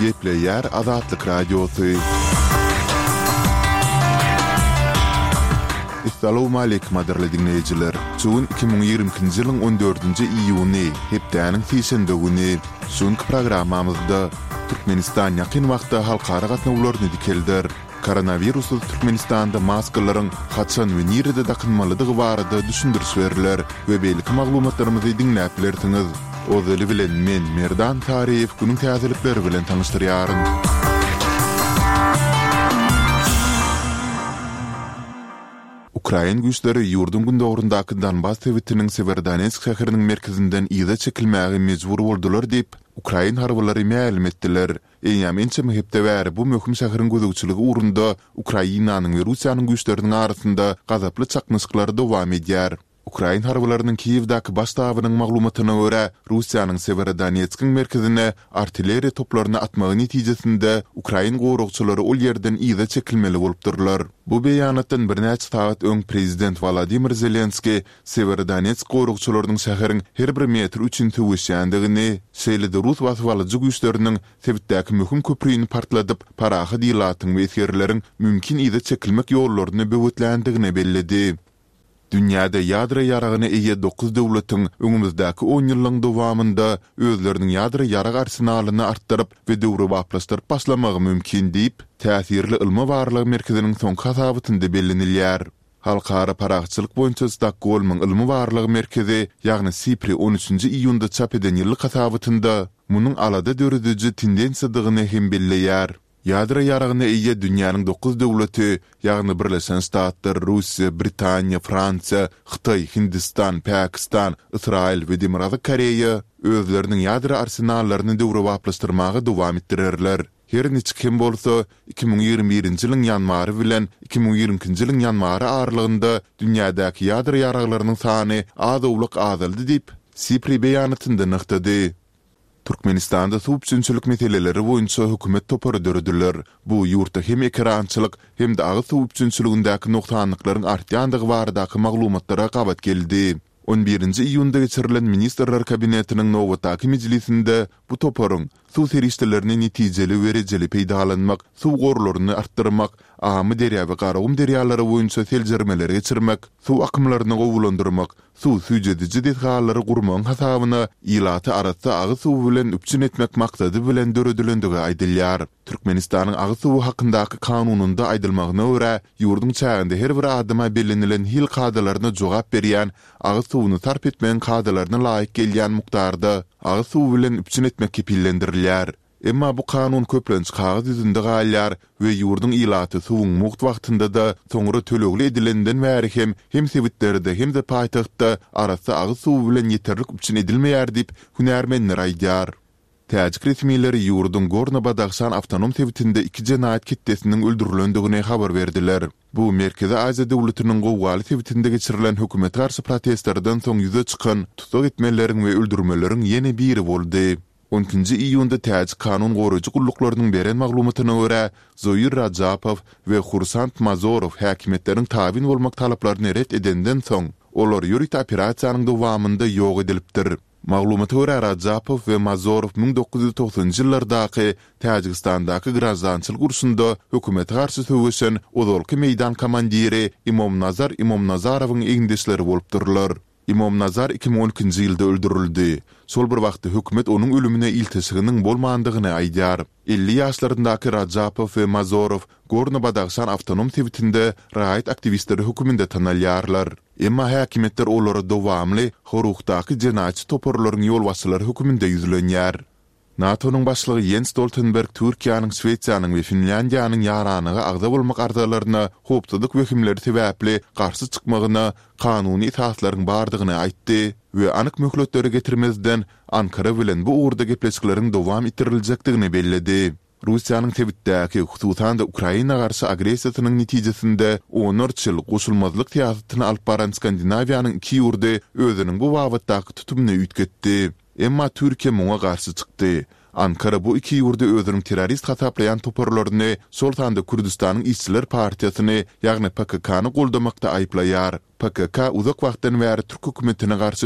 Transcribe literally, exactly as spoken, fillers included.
Gepleýär Azatlyk Radiosy. Essalawmaleýkim gadyrly diňleýjiler! Şu gün iki müň ýigrimi ikinji ýylyň on dördünji iýuny, hepdäniň sişenbe güni. Şu günki programmamyzda Türkmenistan ýakyn wagtda halkara gatnawlaryny dikelder. Koronawirussyz Türkmenistanda maskalaryň haçan we nirede dakynmalydygy barada düşündiriş berler we beýleki maglumatlarymyzy diňläp bilersiňiz. Ozaly bilen men, Merdan Saryýew günüň täzelikleri bilen tanyşdyrýaryn. Ukrain güýçleri ýurduň gündogaryndaky Donbas sebitiniň Sewerodonetsk şäheriniň merkezinden yza çekilmäge mejbur boldular diýip, ukrain harbylary mälim etdiler. Eýýäm ençeme hepde bäri bu möhüm şäheriň gözegçiligi ugrunda Ukrainanyň we Russiýanyň güýçleriniň arasynda gazaply çaknyşyklar dowam edýär. Ukrain harbylarynyň Kiýewdäki baş ştabynyň maglumatyna görä, Russiýanyň Sewerodonetskiň merkezine artilleriýa toplaryny atmagy netijesinde ukrain goragçylary ol ýerden yza çekilmeli bolupdyrlar. Bu beýanatdan birnäçe sagat öň prezident Wolodymyr Zelenskiý Sewerodonetsk goragçylarynyň şäheriň her bir metri üçin söweşýändigini, şeýle-de rus basybalyjy güýçleriniň sebitdäki möhüm köprüni partladyp, parahat ilatyň we esgerleriň mümkin yza çekilmek ýollaryny böwetländigini belledi. Dünýäde ýadro ýaragyna eýe dokuz döwletiň öňümizdäki onýyllygyň dowamynda özleriniň ýadro ýarag arsenalyny artdyryp we döwrebaplaşdyryp başlamagy mümkin diýip, täsirli ylmy-barlag merkeziniň soňky hasabatynda bellenilýär. Halkara parahatçylyk boýunça Stokgolmyň ylmy-barlag merkezi, ýagny SIPRI on üçünji iýunda çap eden ýyllyk hasabatynda munuň alada dörediji tendensiýadygyny hem belleýär. Ýadro ýaragyna eýe dünýäniň dokuz döwleti, ýagny Birleşen Ştatlar, Russiýa, Britaniýa, Fransiýa, Hytaý, Hindistan, Pakistan, Ysraýyl we Demirgazyk Koreýa özleriniň ýadro arsenallaryny döwrebaplaşdyrmaga dowam etdirerler. Her niçik hem bolsa, iki müň ýigrimi birinji ýylyň ýanwary bilen iki müň ýigrimi ikinji ýylyň ýanwary aralygynda dünýädäki ýadro ýaraglarynyň sany az-owlak azaldy diýip, SIPRI beýanatynda nygtady. Türkmenistanda suw üpjünçilik meseleleri boýunça hökümet topary dörediler. Bu ýurtda hem ekerançylyk, hem-de agyz suw üpjünçiligindäki nogsanlyklaryň artýandygy baradaky maglumatlara gabat geldi. On birinji iýunda geçirilen Ministrler Kabinetiniň nobatdaky mejlisinde bu toparyň suw serişdelerini netijeli we rejeli peýdalanmak, suw gorlaryny artdyrmak, Amyderýa we Garagum derýalary boýunça seljermeleri geçirmek, suw akymlaryny gowulandyrmak, suw süýjediji desgalary gurmagyň hasabyna ilaty arassa agyz suwy bilen üpjün etmek maksady bilen döredilendigi aýdylýar. Türkmenistanyň Agyz suwy hakyndaky Kanunynda aýdylmagyna görä, ýurduň çäginde her bir adama bellenilen hil kadalaryna jogap berýän agyz suwuny sarp etmegiň kadalaryna laýyk gelýän mukdarda agyz suwy bilen üpjün etmek kepillendirilýär. Emma bu kanun köplenç kagyz ýüzünde galýar we ýurduň ilaty suwuň mugt wagtynda-da, soňra tölegli edilenden bäri hem hem sebitlerde, hem-de paýtagtda arassa agyz suwy bilen ýeterlik üpjün edilmeýär diýip, hünärmenler aýdýar. Täjik resmileri ýurduň Gorno-Badahşan awtonom sebitinde iki jenaýat ketdesiniň öldürilendigini habar berdiler. Bu Merkezi Aziýa döwletiniň gowgaly sebitinde geçirilen hökümete garşy protestlerden soň ýüze çykan tussag etmeleriň we öldürmeleriň ýene biri boldy. On ikinji iýunda täjik kanun goraýjy gulluklarynyň beren maglumatyna görä, Zoir Rajapow we Hursand Mazorow häkimiýetleriň tabyn bolmak talaplaryny ret edenden soň, olar ýörite operasiýanyň dowamynda ýok edilipdir. Maglumata görä, Rajapow we Mazorow müň dokuz ýüz togsanynjy ýyllardaky Täjigistandaky graždançylyk urşunda hökümete garşy söweşen ozalky meýdan komandiri Imomnazar Imomnazarowyň egindeşleri bolupdyrlar. Imomnazar iki müň on ikinji ýylda öldürildi. Şol bir wagtda hökümet onuň ölümine ilteşiginiň bolmandygyny aýdýar. Elli ýaşlaryndaky Rajapow we Mazorow Gorno-Badahşan awtonom sebitinde raýat aktiwistleri höküminde tanalýarlar. Emma häkimiýetler olara dowamly Horuhdaky jenaýatçy toparlaryň ýolbaşçylary höküminde ýüzlenýär. NATO-nyň başlygy Ýens Stoltenberg Türkiýäniň, Şwesiýanyň we Finlýandiýanyň ýaranlyga agza bolmak arzalaryna howpsuzlyk wehimleri sebäpli garşy çykmagyna kanuny esaslaryň bardygyny aýtdy we anyk möhletleri getirmezden, Ankara bilen bu ugurda gepleşikleriň dowam etdiriljekdigini belledi. Russiýanyň sebitdäki, hususan-da Ukraina garşy agressiýasynyň netijesinde onlarça ýyl goşulmazlyk syýasatyny alyp baran Skandinawiýanyň iki ýurdy özüniň bu babatdaky tutumyny üýtgetdi. Emma Türkiýe muňa garşy çykdy. Ankara bu iki ýurdy özüniň terrorist hasaplaýan toparlaryny, şol sanda Kürdüstanyň işçiler partiýasyny, ýagny PKK-ny goldamakda aýyplaýar. PKK uzak wagtdan bäri türk hökümetine garşy